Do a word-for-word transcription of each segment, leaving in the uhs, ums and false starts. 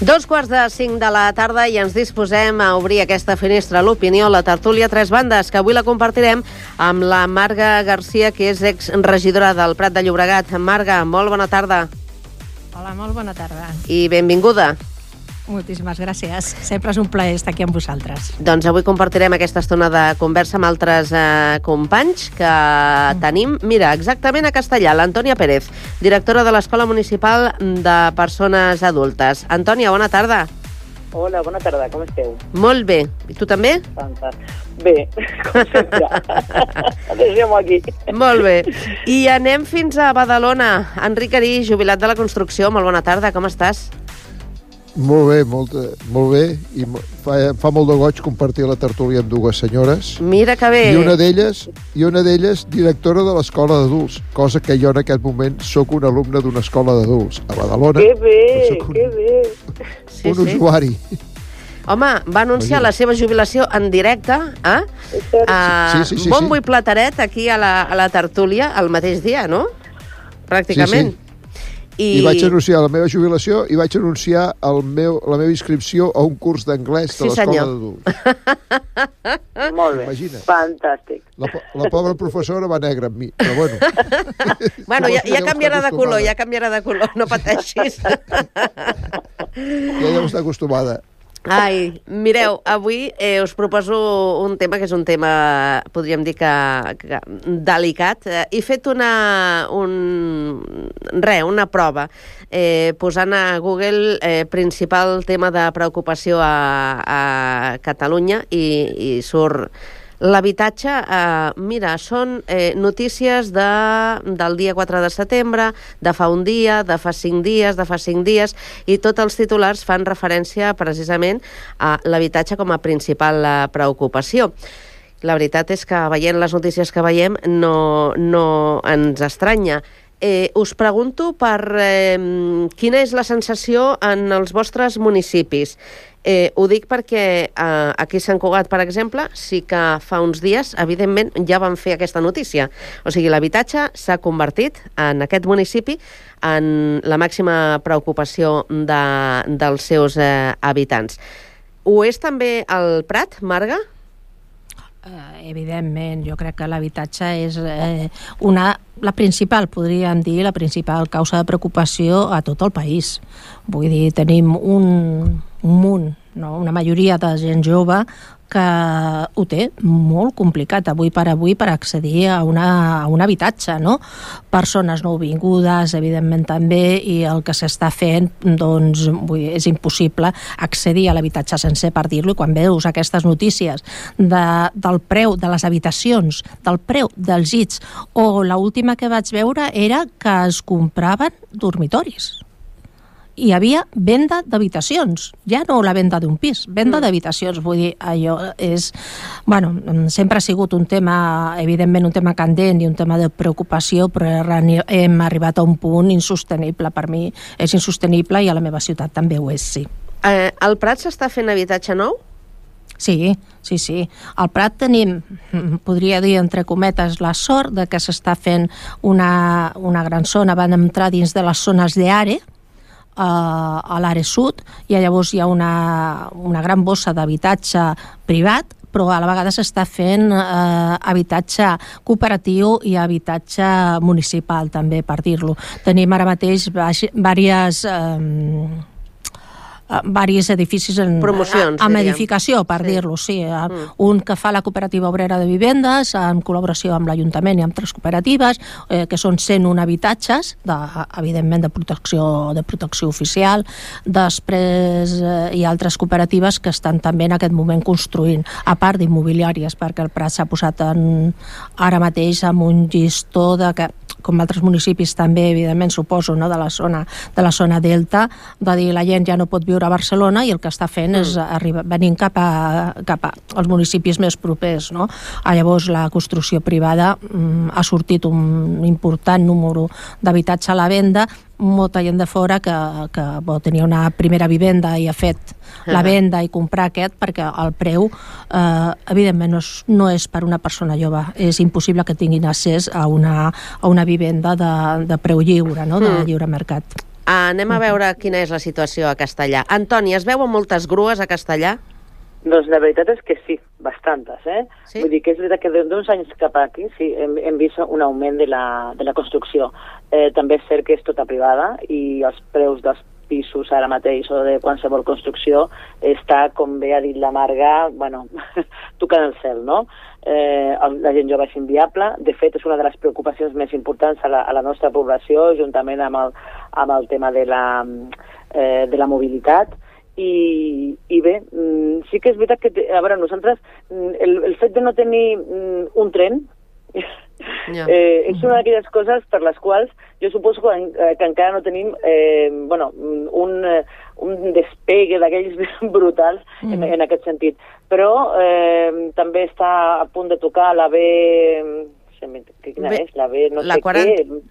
Dos quarts de cinc de la tarda i ens disposem a obrir aquesta finestra a l'opinió, la tertúlia Tres Bandes, que avui la compartirem amb la Marga Garcia, que és exregidora del Prat de Llobregat. Marga, molt bona tarda. Hola, molt bona tarda. I benvinguda. Moltíssimes gràcies. Sempre és un plaer estar aquí amb vosaltres. Doncs avui compartirem aquesta estona de conversa amb altres eh, companys que mm. tenim. Mira, exactament a Castellà, l'Antònia Pérez, directora de l'Escola Municipal de Persones Adultes. Antònia, bona tarda. Hola, bona tarda, com esteu? Molt bé. I tu també? Fantàstic. Bé, com sempre. Deixem aquí. Molt bé. I anem fins a Badalona. Enric Arí, jubilat de la construcció. Molt bona tarda, com estàs? Molt bé, molt, molt bé, i fa, fa molt de goig compartir la tertúlia amb dues senyores. Mira que bé. I una d'elles, i una d'elles directora de l'escola d'adults, cosa que jo en aquest moment sóc un alumne d'una escola d'adults a Badalona. Que bé, un, que bé. Sí, un sí. usuari. Home, va anunciar Imagina. la seva jubilació en directe, eh? Uh, sí, sí, sí, bombo sí. i plateret aquí a la, a la tertúlia el mateix dia, no? Pràcticament. Sí, sí. I... I vaig anunciar la meva jubilació i vaig anunciar el meu, la meva inscripció a un curs d'anglès de sí, l'escola d'adults. Molt bé, Imagina. Fantàstic. La, la pobra professora va negra amb mi, però bueno. Bueno, ja, ja canviarà de color, ja canviarà de color, no pateixis. Ja deu estar acostumada. Ai, mireu, avui eh, us proposo un tema que és un tema, podríem dir que, que delicat. Eh, he fet una, un, re, una prova eh, posant a Google eh, principal tema de preocupació a, a Catalunya i, i surt l'habitatge. Eh, mira, són eh, notícies de, del dia quatre de setembre, de fa un dia, de fa cinc dies, de fa cinc dies, i tots els titulars fan referència precisament a l'habitatge com a principal eh, preocupació. La veritat és que veient les notícies que veiem no, no ens estranya. Eh, us pregunto per eh, quina és la sensació en els vostres municipis. Eh, ho dic perquè eh, aquí a Sant Cugat, per exemple, sí que fa uns dies, evidentment, ja van fer aquesta notícia. O sigui, l'habitatge s'ha convertit en aquest municipi en la màxima preocupació de, dels seus eh, habitants. Ho és també el Prat, Marga? Uh, evidentment, jo crec que l'habitatge és eh, una, la principal, podríem dir, la principal causa de preocupació a tot el país. Vull dir, tenim un, un munt, no? Una majoria de gent jove que ho té molt complicat avui per avui per accedir a, una, a un habitatge, no? Persones nouvingudes, evidentment també, i el que s'està fent, doncs, vull dir, és impossible accedir a l'habitatge sencer, per dir-lo, i quan veus aquestes notícies de, del preu de les habitacions, del preu dels llits, o l'última que vaig veure era que es compraven dormitoris. Hi havia venda d'habitacions, ja no la venda d'un pis, venda mm. d'habitacions, vull dir, allò és, bueno, sempre ha sigut un tema, evidentment un tema candent i un tema de preocupació, però hem arribat a un punt insostenible, per mi és insostenible i a la meva ciutat també ho és, sí. Eh, al Prat s'està fent habitatge nou? Sí, sí, sí. Al Prat tenim, podria dir entre cometes, la sort de que s'està fent una, una gran zona, van entrar dins de les zones d'Are, a l'àrea sud, i llavors hi ha una, una gran bossa d'habitatge privat, però a la vegada s'està fent eh, habitatge cooperatiu i habitatge municipal també, per dir-lo. Tenim ara mateix diverses eh, varis edificis en, promocions, amb diríem. edificació, per sí. dir-lo, sí. Mm. Un que fa la Cooperativa Obrera de Vivendes, en col·laboració amb l'Ajuntament i amb tres cooperatives, eh, que són cent un habitatges, de, evidentment de protecció, de protecció oficial. Després eh, hi ha altres cooperatives que estan també en aquest moment construint, a part d'immobiliàries, perquè el Prat s'ha posat en, ara mateix amb un llistó de que, com altres municipis també, evidentment, suposo, no, de la zona, de la zona delta, de dir la gent ja no pot viure a Barcelona i el que està fent mm. és arribar, venint cap, a, cap als municipis més propers, no? Llavors la construcció privada mm, ha sortit un important número d'habitatge a la venda, molta gent de fora que, que bo, tenia una primera vivenda i ha fet la venda i comprar aquest, perquè el preu eh, evidentment no és, no és per una persona jove, és impossible que tinguin accés a una, a una vivenda de, de preu lliure, no? De lliure mercat. Anem a veure quina és la situació a Castellà. Antoni, es veuen moltes grues a Castellà? Doncs la veritat és que sí, bastantes, eh? Sí? Vull dir que és veritat que d'uns anys cap aquí sí, hem, hem vist un augment de la, de la construcció. Eh, també és cert que és tota privada i els preus dels pisos ara mateix o de qualsevol construcció està, com bé ha dit la Marga, bueno, tocant el cel, no? Eh, la gent jove és inviable. De fet, és una de les preocupacions més importants a la, a la nostra població, juntament amb el, amb el tema de la, eh, de la mobilitat. I, i bé, sí que és veritat que, a veure, nosaltres, el, el fet de no tenir un tren yeah. eh, és una d'aquelles coses per les quals jo suposo que, que encara no tenim eh, bueno, un, un despegue d'aquells brutals mm. en, en aquest sentit. Però eh, també està a punt de tocar la B... Quina B, és? La B no sé quaranta... què...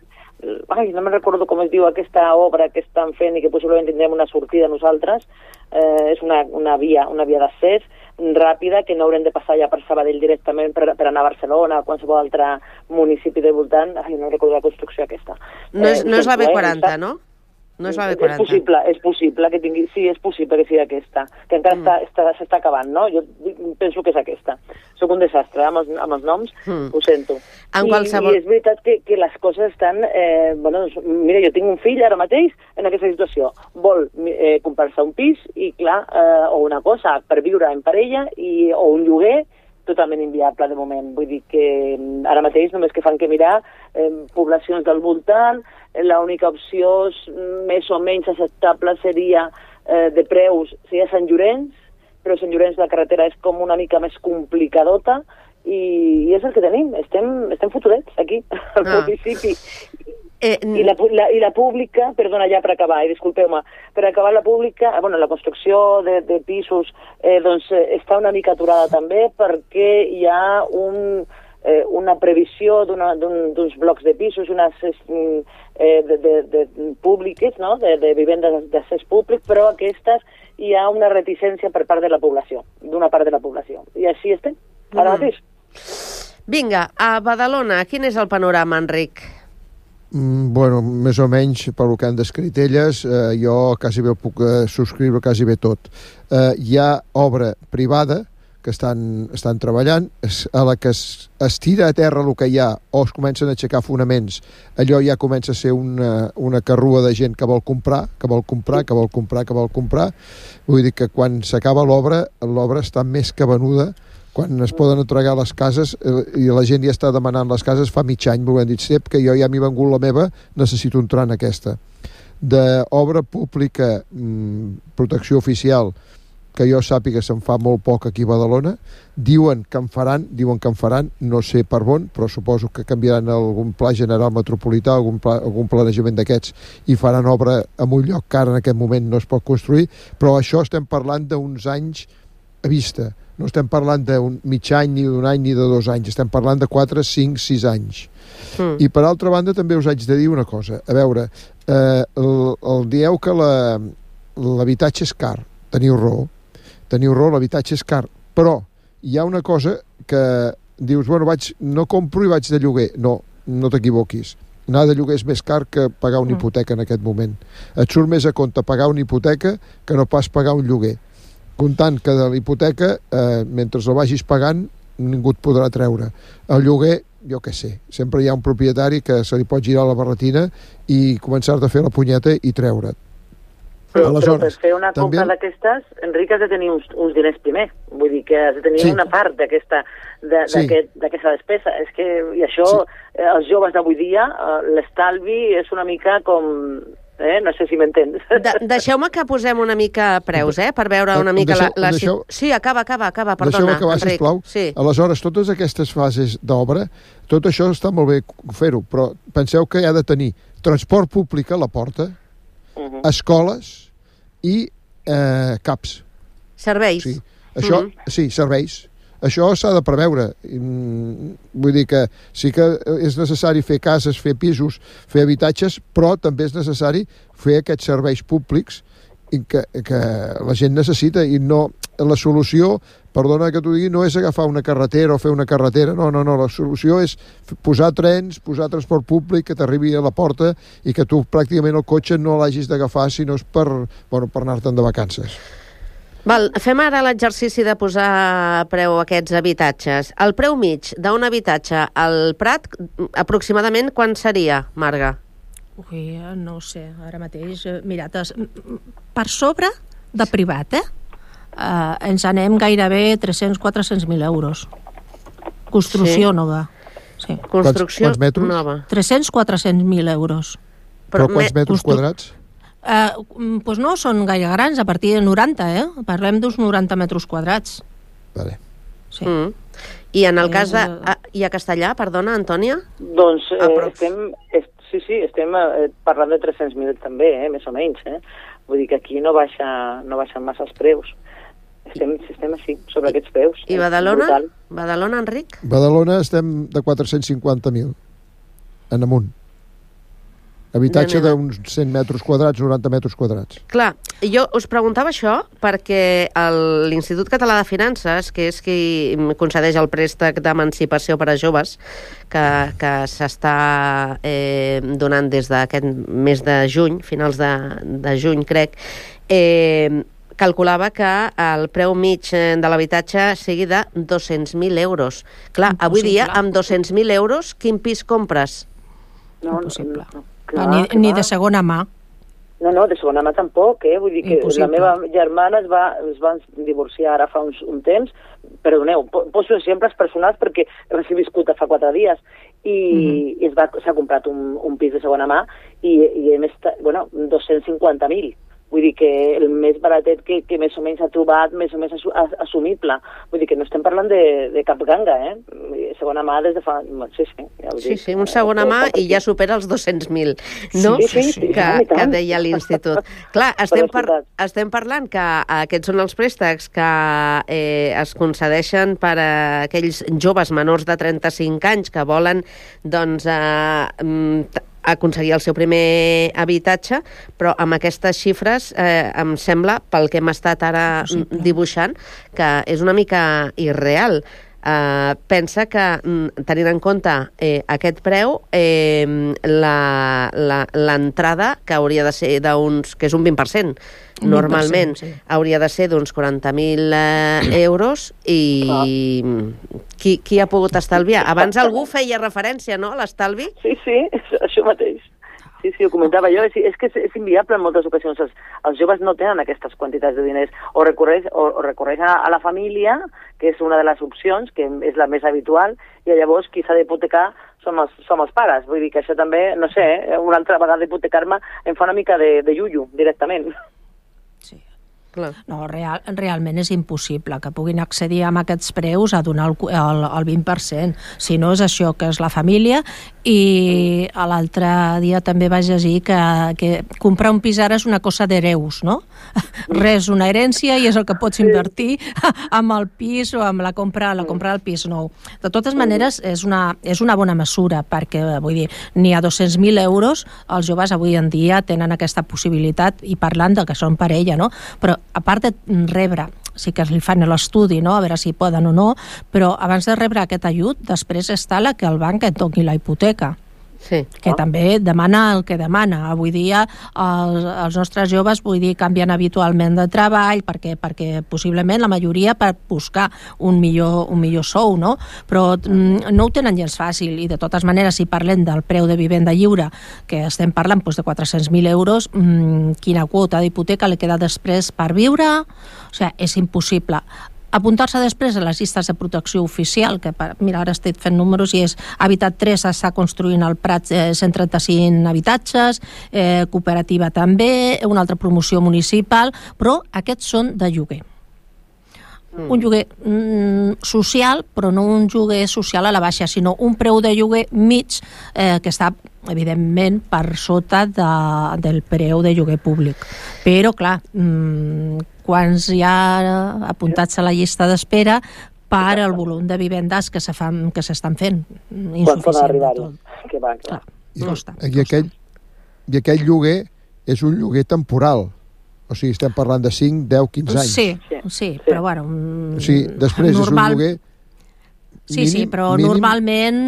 Ai, no me'n recordo com es diu aquesta obra que estan fent i que possiblement tindrem una sortida nosaltres. Eh, és una, una via, una via d'accés ràpida que no haurem de passar ja per Sabadell directament per, per anar a Barcelona o qualsevol altre municipi de voltant. Ai, no recordo la construcció aquesta. No és, eh, no és la B quaranta, eh, no? No és la B quaranta. És possible, és possible que tingui... Sí, és possible que sigui aquesta, que encara mm. està, s'està acabant, no? Jo penso que és aquesta. Soc un desastre amb els, amb els noms, mm. ho sento. En I, qualsevol... I és veritat que, que les coses estan... Eh, bueno, doncs, mira, jo tinc un fill ara mateix en aquesta situació. Vol eh, comprar-se un pis i, clar, eh, o una cosa per viure en parella i, o un lloguer totalment inviable de moment. Vull dir que ara mateix només que fan que mirar eh, poblacions del voltant, l'única opció més o menys acceptable seria eh, de preus, seria Sant Llorenç, però Sant Llorenç la carretera és com una mica més complicadota i, i és el que tenim, estem, estem fotudets aquí, al ah. municipi. Eh, I, la, la, I la pública, perdona ja per acabar, eh, disculpeu-me, per acabar la pública, bueno, la construcció de, de pisos eh, doncs, eh, està una mica aturada també perquè hi ha un, eh, una previsió d'uns blocs de pisos, unes eh, de, de, de públiques, no? de, de vivendes d'accés públic, però aquestes hi ha una reticència per part de la població, d'una part de la població. I així estem, ara mateix. Vinga, a Badalona, quin és el panorama, Enric? Mm, bueno, més o menys, pel que han descrit elles, eh, jo quasi bé puc eh, subscriure quasi bé tot. Eh, hi ha obra privada que estan, estan treballant, es, a la que es, es tira a terra el que hi ha o es comencen a aixecar fonaments, allò ja comença a ser una, una carrua de gent que vol comprar, que vol comprar, que vol comprar, que vol comprar. Vull dir que quan s'acaba l'obra, l'obra està més que venuda. Quan es poden entregar les cases eh, i la gent ja està demanant les cases fa mig any, m'ho han dit, Sep, que jo ja m'hi he vengut la meva, necessito entrar en aquesta. D'obra pública, mmm, protecció oficial, que jo sàpiga se'n fa molt poc aquí a Badalona, diuen que en faran, diuen que en faran, no sé per on, però suposo que canviaran algun pla general metropolità, algun, pla, algun planejament d'aquests, i faran obra en un lloc que ara en aquest moment no es pot construir, però això estem parlant d'uns anys a vista. No estem parlant d'un mig any, ni d'un any, ni de dos anys. Estem parlant de quatre, cinc, sis anys. Mm. I per altra banda també us haig de dir una cosa. A veure, eh, el, el dieu que l'habitatge és car. Teniu raó. Teniu raó, l'habitatge és car. Però hi ha una cosa que dius, bueno, vaig, no compro i vaig de lloguer. No, no t'equivoquis. Anar de lloguer és més car que pagar una hipoteca en aquest moment. Et surt més a compte pagar una hipoteca que no pas pagar un lloguer. Comptant que de la hipoteca, eh, mentre la vagis pagant, ningú et podrà treure. El lloguer, jo què sé, sempre hi ha un propietari que se li pot girar la barretina i començar-te a fer la punyeta i treure't. Però, però per fer una compra també... d'aquestes, Enric, has de tenir uns, uns diners primer. Vull dir que has de tenir sí. una part d'aquesta de, sí. despesa. És que, i això, sí. eh, els joves d'avui dia, eh, l'estalvi és una mica com... Eh? No sé si m'entens. De Deixeu-me que posem una mica preus, eh? Per veure una mica deixeu, la... la... Deixeu... Sí, acaba, acaba, acaba, perdona, acabar, Enric. Sisplau. Sí. Aleshores, totes aquestes fases d'obra, tot això està molt bé fer-ho, però penseu que hi ha de tenir transport públic a la porta, uh -huh. escoles i eh, CAPs. Serveis. Sí, això, uh -huh. sí, serveis. Això s'ha de preveure. Vull dir que sí que és necessari fer cases, fer pisos, fer habitatges, però també és necessari fer aquests serveis públics que, que la gent necessita i no... la solució, perdona que t'ho digui, no és agafar una carretera o fer una carretera, no, no, no, la solució és posar trens, posar transport públic que t'arribi a la porta i que tu pràcticament el cotxe no l'hagis d'agafar si no és per, bueno, per anar-te'n de vacances. Val, fem ara l'exercici de posar preu a aquests habitatges. El preu mig d'un habitatge al Prat, aproximadament quan seria, Marga? Ui, no ho sé, ara mateix. Mira, per sobre de privat, eh? Uh, ens anem gairebé tres-cents a quatre-cents mil euros. Construcció sí. nova. Sí. Construcció quants, quants metres? nova. tres-cents a quatre-cents mil euros. Però, Però quants me... metres Constru... quadrats? Uh, doncs no són gaire grans, a partir de noranta, eh? Parlem d'uns noranta metres quadrats. Vale. Sí. Mm. I en el és... cas de... A, I a Castellà, perdona, Antònia? Doncs eh, estem, es, sí, sí, estem eh, parlant de tres-cents mil també, eh, més o menys. Eh? Vull dir que aquí no baixa, no baixen massa els preus. Estem, estem així, sobre aquests preus. I Badalona? Brutal. Badalona, Enric? Badalona estem de quatre-cents cinquanta mil en amunt. Habitatge d'uns cent metres quadrats, noranta metres quadrats. Clar, jo us preguntava això perquè l'Institut Català de Finances, que és qui concedeix el préstec d'emancipació per a joves, que, que s'està eh, donant des d'aquest mes de juny, finals de, de juny, crec, eh, calculava que el preu mig de l'habitatge sigui de dos-cents mil euros. Clar, avui dia, amb dos-cents mil euros, quin pis compres? No, impossible. No, no. Clar, ni, ni de segona mà. No, no, de segona mà tampoc, eh? Vull dir que Impossible. La meva germana es va, es va divorciar ara fa uns, un temps, perdoneu, poso exemples personals perquè res he viscut fa quatre dies i, mm-hmm. i es va, s'ha comprat un, un pis de segona mà i, i hem estat, bueno, dos-cents cinquanta mil. Vull dir que el més baratet que, que més o menys ha trobat, més o menys assumible. Vull dir que no estem parlant de, de cap ganga, eh? Segona mà des de fa... Sí, sí. Ja sí, sí, un segona mà i ja supera els dos-cents mil, no? Sí, sí, sí, sí, que, sí, que deia l'Institut. Clar, estem, par estem parlant que aquests són els préstecs que eh, es concedeixen per a aquells joves menors de trenta-cinc anys que volen, doncs, eh, aconseguir el seu primer habitatge, però amb aquestes xifres eh, em sembla, pel que hem estat ara Possible. dibuixant, que és una mica irreal. Eh, pensa que, tenint en compte eh, aquest preu, eh, l'entrada, que hauria de ser d'uns, que és un vint per cent, normalment, sí. hauria de ser d'uns quaranta mil eh, euros i ah. qui, qui ha pogut estalviar? Abans algú feia referència, no?, a l'estalvi? Sí, sí, això mateix. Sí, sí, ho comentava jo. És, és que és, és inviable en moltes ocasions. Els, els joves no tenen aquestes quantitats de diners. O recorreix, o, o recorreix a, a la família, que és una de les opcions, que és la més habitual, i llavors qui s'ha d'hipotecar som els, som els pares. Vull dir que això també, no sé, una altra vegada hipotecar-me em fa una mica de, de iullo, directament. Sí. Clar. No, real, realment és impossible que puguin accedir amb aquests preus a donar el, el, el vint per cent. Si no és això, que és la família, i l'altre dia també vaig llegir que, que comprar un pis ara és una cosa d'hereus, no? Res, una herència, i és el que pots invertir amb el pis o amb la compra, la compra del pis nou. De totes maneres, és una, és una bona mesura, perquè, vull dir, ni a dos-cents mil euros els joves avui en dia tenen aquesta possibilitat, i parlant de que són parella, no? Però a part de rebre, sí que li fan l'estudi, no?, a veure si poden o no, però abans de rebre aquest ajut, després està la que el banc et doni la hipoteca. Sí. Que ah. també demana el que demana. Avui dia els, els nostres joves, vull dir, canvien habitualment de treball perquè, perquè possiblement la majoria per buscar un millor, un millor sou, no? Però mm, no ho tenen gens fàcil, i de totes maneres, si parlem del preu de vivenda lliure, que estem parlant doncs, de quatre-cents mil euros, mmm, quina quota d'hipoteca li queda després per viure? O sigui, és impossible. Apuntar-se després a les llistes de protecció oficial, que mira, ara estic fent números i és Habitat tres, està construint al Prat eh, cent trenta-cinc habitatges, eh, cooperativa també, una altra promoció municipal, però aquests són de lloguer. Mm. Un lloguer mm, social, però no un lloguer social a la baixa, sinó un preu de lloguer mig eh, que està, evidentment, per sota de, del preu de lloguer públic. Però, clar, mm, quants hi ha apuntats a la llista d'espera per al volum de vivendes que se fan, que s'estan fent. Quan poden arribar-hi? Que va, clar. I, costa, i, aquell, I aquell lloguer és un lloguer temporal. O sigui, estem parlant de cinc, deu, quinze anys. Sí, sí, sí, però bueno... O sigui, després normal... és un lloguer... Sí, mínim, sí, però mínim... normalment,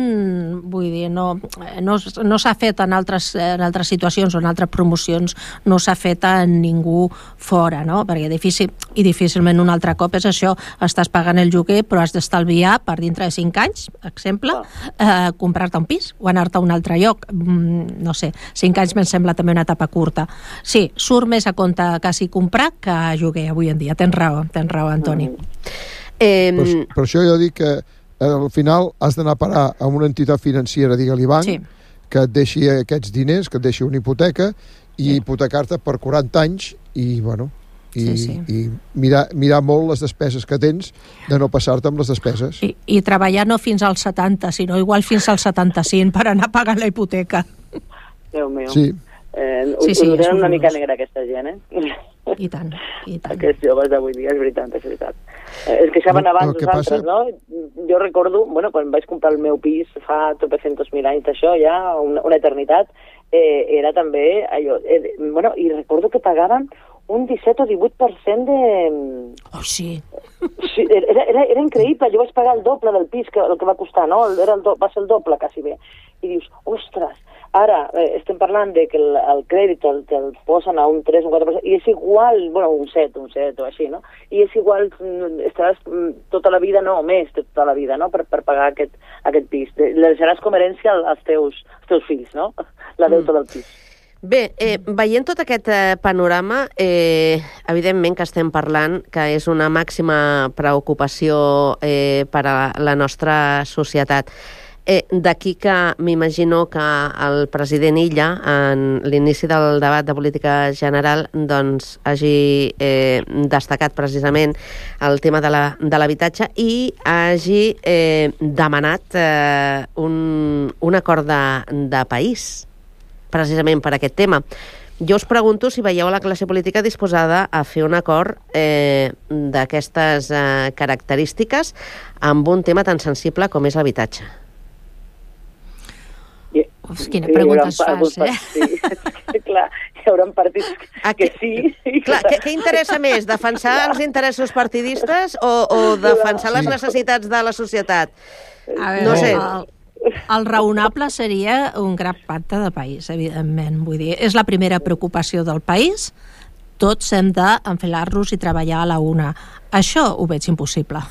vull dir, no, no, no s'ha fet en altres, en altres situacions o en altres promocions, no s'ha fet a ningú fora, no? Perquè difícil, i difícilment un altre cop és això, estàs pagant el lloguer però has d'estalviar per dintre de cinc anys, exemple, eh, comprar-te un pis o anar-te a un altre lloc. Mm, no sé, cinc anys me'n sembla també una etapa curta. Sí, surt més a compte quasi comprar que lloguer avui en dia. Tens raó, tens raó, Antoni. Mm. Eh... Per, per això jo dic que al final has d'anar a parar a una entitat financera, digue-li banc, sí, que et deixi aquests diners, que et deixi una hipoteca i sí, hipotecar-te per quaranta anys i, bueno, i, sí, sí. i mirar, mirar molt les despeses que tens, de no passar-te amb les despeses. I, i treballar no fins als setanta, sinó igual fins als setanta-cinc per anar pagant la hipoteca. Déu meu. Sí. Eh, sí, sí, ho tenen una mica negra aquesta gent, eh? I tant, i tant. Aquests joves d'avui dia, és veritat, és veritat. Eh, es queixaven abans els altres, no? Jo recordo, bueno, quan vaig comprar el meu pis fa tropecientos mil anys d'això, ja una, una eternitat, eh, era també allò... Eh, bueno, i recordo que pagaven un disset o divuit per cent de... Oh, sí. Sí, era, era, era increïble. Jo vaig pagar el doble del pis que el que va costar, no? Era el do, va ser el doble, quasi bé. I dius, ostres, ara eh, estem parlant de que el, el crèdit te'l te posen a un tres o un quatre per cent i és igual, bueno, un set, un set o així, no? I és igual, estaràs tota la vida, no, més de tota la vida, no?, per, per pagar aquest, aquest pis. Le deixaràs com herència als teus, als teus fills, no?, la deuta mm. del pis. Bé, eh, veient tot aquest eh, panorama, eh, evidentment que estem parlant que és una màxima preocupació eh, per a la nostra societat. Eh, D'aquí que m'imagino que el president Illa, en l'inici del debat de política general, doncs hagi eh, destacat precisament el tema de l'habitatge la, i hagi eh, demanat eh, un, un acord de, de país, precisament per aquest tema. Jo us pregunto si veieu la classe política disposada a fer un acord eh, d'aquestes eh, característiques amb un tema tan sensible com és l'habitatge. Uf, quina pregunta es fas, eh? Sí. Clar, hi haurà partits que sí. Clar, què, què interessa més, defensar els interessos partidistes o, o defensar les necessitats de la societat? A veure, no sé. El, el raonable seria un gran pacte de país, evidentment. Vull dir, és la primera preocupació del país. Tots hem d'enfilar-nos i treballar a la una. Això ho veig impossible.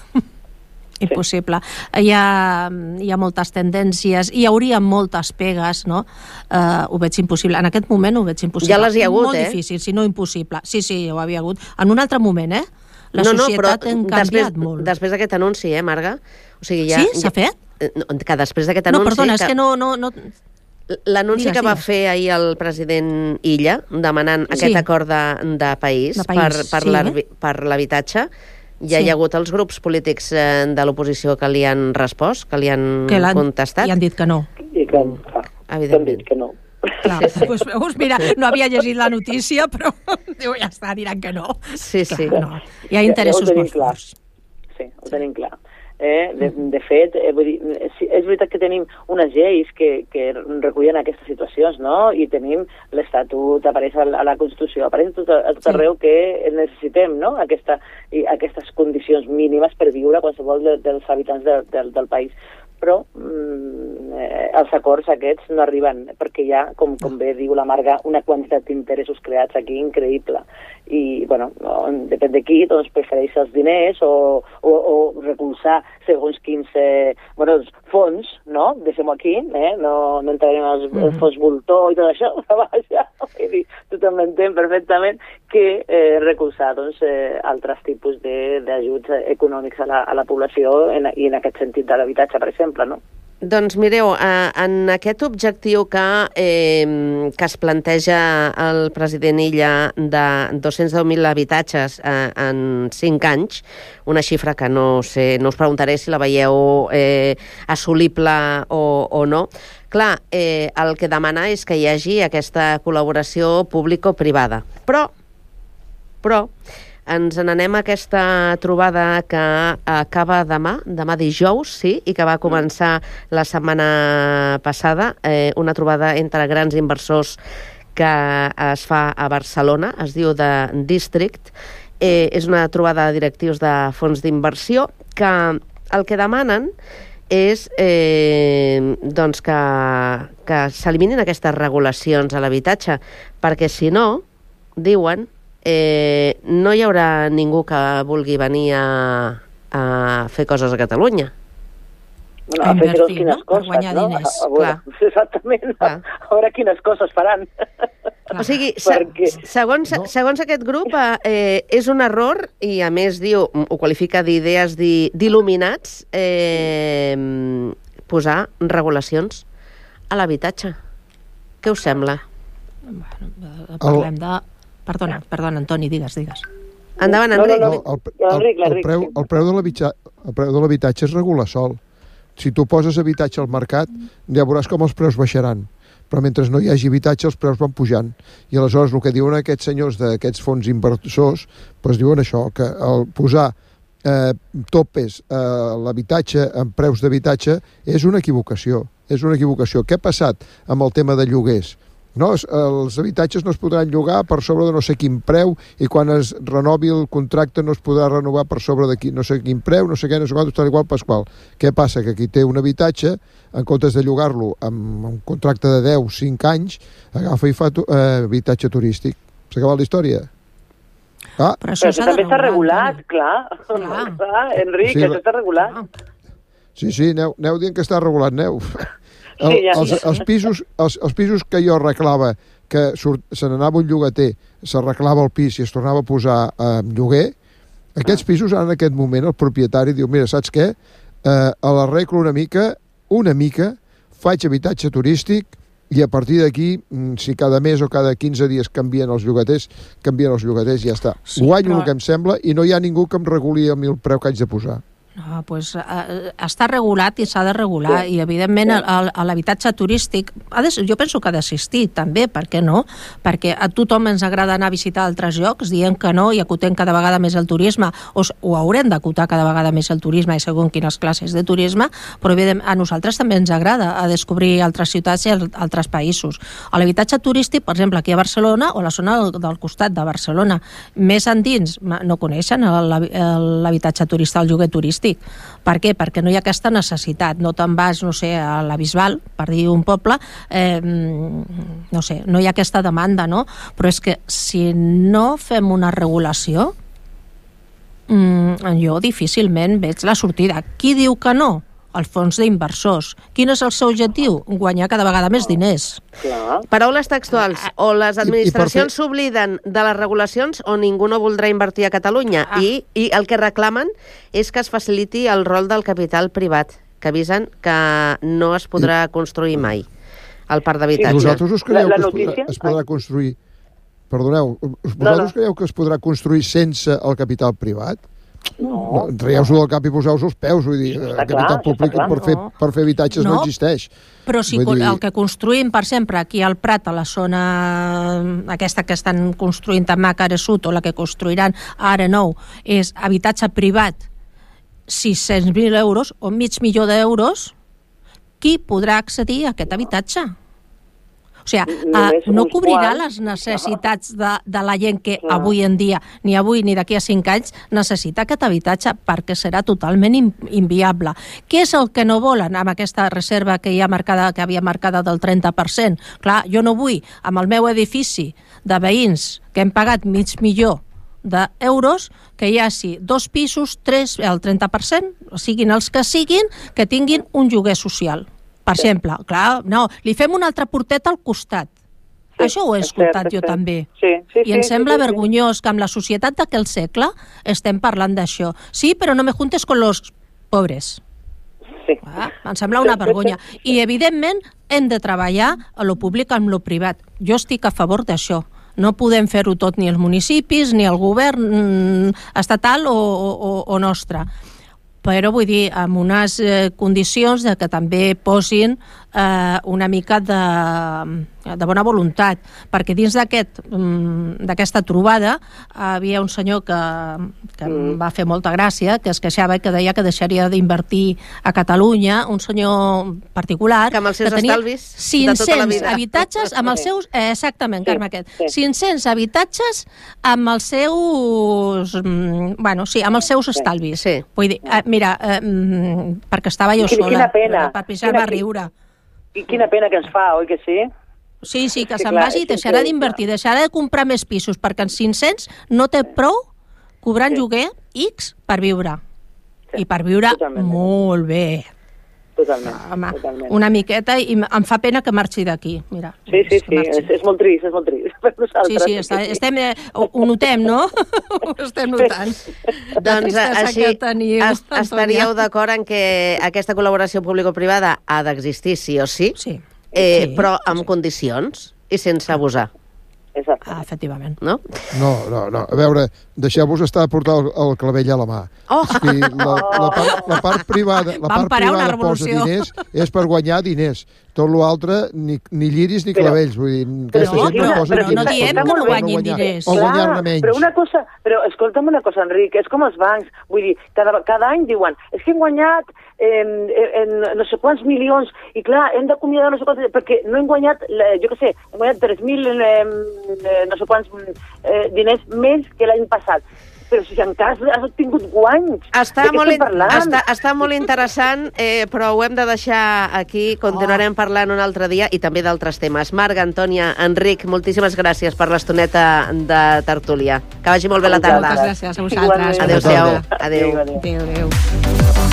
Impossible. Sí. Hi ha, hi ha moltes tendències, hi hauria moltes pegues, no? Uh, ho veig impossible. En aquest moment ho veig impossible. Ja les hi ha hagut, Molt eh? Molt difícil, si no impossible. Sí, sí, ho havia hagut. En un altre moment, eh? La no, societat no, ha canviat després, molt. Després d'aquest anunci, eh, Marga? O sigui, ja, sí? S'ha ja, fet? No, que després d'aquest anunci... No, perdona, que... és que no... no, no... L'anunci que va digues. fer ahir el president Illa, demanant sí. aquest acord de, de país, de país per, per sí, l'habitatge, ja sí. hi ha hagut els grups polítics eh, de l'oposició que li han respost, que li han, que contestat. I han dit que no. I que, clar, evidentment. han dit que no. Clar, sí, sí. Pues, pues mira, no havia llegit la notícia, però diu, ja està, diran que no. Sí, sí. Clar, no. Hi ha interessos ja, ja molt forts. Sí, ho tenim clar. Eh, de, de fet, eh, vull dir, és veritat que tenim unes lleis que, que recullen aquestes situacions, no? I tenim l'Estatut, apareix a la, a la Constitució, apareix a tot, a tot arreu que necessitem, no? Aquesta, i aquestes condicions mínimes per viure qualsevol de, dels habitants de, de, del país. Però mm, eh, els acords aquests no arriben, perquè hi ha, com, com bé diu la Marga, una quantitat d'interessos creats aquí increïble. I, bueno, no, depèn de qui, doncs prefereix els diners o, o, o recolzar segons quins eh, bueno, fons, no? Deixem-ho aquí, eh? no, no entrarem als mm -hmm. fons voltor i tot això, vaja, tothom entén perfectament que eh, recolzar doncs, eh, altres tipus d'ajuts econòmics a la, a la població en, i en aquest sentit de l'habitatge, per exemple, no? Doncs mireu, eh, en aquest objectiu que, eh, que es planteja el president Illa de dos-cents deu mil habitatges eh, en cinc anys, una xifra que no sé, no us preguntaré si la veieu eh, assolible o, o no. Clar, eh, el que demana és que hi hagi aquesta col·laboració público-privada. Però, però, ens n'anem a aquesta trobada que acaba demà, demà dijous, sí, i que va començar la setmana passada, eh, una trobada entre grans inversors que es fa a Barcelona, es diu de District. Eh, és una trobada de directius de fons d'inversió que el que demanen és eh, doncs que, que s'eliminin aquestes regulacions a l'habitatge, perquè si no, diuen, eh, no hi haurà ningú que vulgui venir a, a fer coses a Catalunya. Bueno, a, a fer invertir, quines no? coses, Per guanyar no? diners. A, a veure, exactament, Clar. a veure quines coses faran. O sigui, se, Perquè- segons, No. segons aquest grup, eh, és un error, i a més diu, ho qualifica d'idees di- d'il·luminats, eh, posar regulacions a l'habitatge. Què us sembla? Bueno, eh, parlem de... Perdona, perdona, Antoni, digues, digues. Endavant, No, no, Enric. no, El, el, el, L'Enric, el, l'Enric, preu, sí. el preu de l'habitja- el preu de l'habitatge es regula sol. Si tu poses habitatge al mercat, ja veuràs com els preus baixaran. Però mentre no hi hagi habitatge, els preus van pujant. I aleshores el que diuen aquests senyors d'aquests fons inversors, doncs diuen això, que el posar eh, topes a l'habitatge en preus d'habitatge és una equivocació. És una equivocació. Què ha passat amb el tema de lloguers? No, es- els habitatges no es podran llogar per sobre de no sé quin preu i quan es renovi el contracte no es podrà renovar per sobre de qui, no sé quin preu, no sé què, no sé quant, tal igual pasqual. Què passa? Que qui té un habitatge, en comptes de llogar-lo amb un contracte de deu, cinc anys, agafa i fa tu, eh, habitatge turístic. S'ha acabat la història. Ah, Però això Però s'ha això de també està regulat, Antoni. clar. Clar. clar. Enric, Sí, això la- està regulat. Ah, sí, sí, aneu, aneu dient que està regulat, aneu. El, Sí, ja. els, els, pisos, els, els pisos que jo arreglava, que surt, se n'anava un llogater, s'arreglava el pis i es tornava a posar eh, en lloguer, aquests pisos ara en aquest moment el propietari diu, mira, saps què? Eh, a l'arreglo una mica, una mica, faig habitatge turístic i a partir d'aquí, mm, si cada mes o cada quinze dies canvien els llogaters, canvien els llogaters i ja està. Sí, Guanyo però- el que em sembla i no hi ha ningú que em reguli a mi el preu que haig de posar. No, pues, eh, està regulat i s'ha de regular, sí. I evidentment el, el, l'habitatge turístic ha de, jo penso que ha d'assistir també, per què no? Perquè a tothom ens agrada anar a visitar altres llocs, dient que no i acotem cada vegada més el turisme, o, o haurem d'acotar cada vegada més el turisme i segons quines classes de turisme, però evidentment a nosaltres també ens agrada a descobrir altres ciutats i altres països. A l'habitatge turístic, per exemple, aquí a Barcelona o a la zona del, del costat de Barcelona, més endins no coneixen l'habitatge turístic, el lloguer turístic. Per què? Perquè no hi ha aquesta necessitat. No te'n vas, no sé, a la Bisbal, per dir un poble, eh, no sé, no hi ha aquesta demanda, no? Però és que si no fem una regulació, mm, jo difícilment veig la sortida. Qui diu que no? El fons d'inversors. Quin és el seu objectiu? Guanyar cada vegada més diners. Clar. Paraules textuals. O les administracions fer- s'obliden de les regulacions o ningú no voldrà invertir a Catalunya. Ah. I, I el que reclamen és que es faciliti el rol del capital privat, que avisen que no es podrà construir mai el parc d'habitatge. Vosaltres us creieu La- la que es podrà, notícia- es podrà construir... Perdoneu, us- No, vosaltres no. creieu que es podrà construir sense el capital privat? No. No, traieu-s'ho del cap i poseu-vos els peus, vull dir, el Està capital clar, públic està clar. per fer, No. per fer habitatges no, No. existeix. Però si Vull dir- el que construïm, per exemple, aquí al Prat, a la zona aquesta que estan construint a Mac ara Sud, o la que construiran ara nou, és habitatge privat, sis-cents mil euros o mig milió d'euros, qui podrà accedir a aquest habitatge? O sigui, Només uh, no uns cobrirà quants. les necessitats de, de la gent que Clar. avui en dia, ni avui ni d'aquí a cinc anys, necessita aquest habitatge perquè serà totalment in, inviable. Què és el que no volen amb aquesta reserva que hi ha marcada, que havia marcada del trenta per cent? Clar, jo no vull, amb el meu edifici de veïns que hem pagat mig milió d'euros, que hi hagi dos pisos, tres, el trenta per cent, siguin els que siguin, que tinguin un lloguer social. Per exemple, clar, no, li fem un altre portet al costat. Sí, Això ho he és escoltat cert, és jo cert. també. Sí, sí, I em sí, sembla sí, sí, vergonyós que amb la societat d'aquell segle estem parlant d'això. Sí, però no me juntes con los pobres. Sí. Ah, em sembla una vergonya. I, evidentment, hem de treballar a lo públic amb lo privat. Jo estic a favor d'això. No podem fer-ho tot ni els municipis, ni el govern mm, estatal o, o, o nostre. Però vull dir, amb unes eh, condicions de que també posin eh, una mica de, de bona voluntat, perquè dins d'aquest d'aquesta trobada havia un senyor que, que mm. em va fer molta gràcia, que es queixava i que deia que deixaria d'invertir a Catalunya, un senyor particular que amb els seus que tenia estalvis cinc-cents habitatges amb els seus... Eh, exactament, sí, Carme, aquest. Sí. cinc-cents habitatges amb els seus... Bueno, sí, amb els seus estalvis. Sí. Vull dir, eh, mira, eh, perquè estava jo sola. Quina pena. Per Pixar va riure. I quina pena que ens fa, oi que sí? Sí, sí, que sí, se'n vagi i deixarà sí, d'invertir, deixarà de comprar més pisos, perquè en cinc-cents no té prou cobrant sí. lloguer X per viure. Sí. I per viure totalment. Molt bé. Totalment, Home, totalment. Una miqueta, i em fa pena que marxi d'aquí. Mira, sí, sí, sí, és, és molt trist, és molt trist per nosaltres. Sí, sí, està, estem, eh, ho, ho notem, no? Ho estem notant. Doncs així est, estaríeu d'acord en que aquesta col·laboració público-privada ha d'existir sí o sí? Sí. Eh, sí, però amb sí. condicions i sense abusar. Exacte. Ah, efectivament. No? No, no, no. A veure, deixeu-vos estar a portar el, el clavell a la mà. Oh! O sigui, la, la, part, la part privada, la part privada posa diners és per guanyar diners. Tot l'altre, ni, ni lliris ni però, clavells. Vull dir, aquesta no, gent però, no posa però diners. no diem que no guanyin diners. O guanyar-ne menys. Però una cosa, però escolta'm una cosa, Enric, és com els bancs. Vull dir, cada, cada any diuen, és que hem guanyat eh, en no sé quants milions, i clar, hem d'acomiadar no sé quants, perquè no hem guanyat, jo què sé, hem guanyat tres mil eh, no sé quants eh, diners més que l'any passat. Però si encara has obtingut guanys, està de què molt estem parlant? Està, està molt interessant, eh, però ho hem de deixar aquí. Continuarem oh. parlant un altre dia i també d'altres temes. Marga, Antònia, Enric, moltíssimes gràcies per l'estoneta de tertúlia. Que vagi molt bé la tarda. Moltes gràcies a vosaltres. Adéu-siau. Adéu. Adéu, adéu.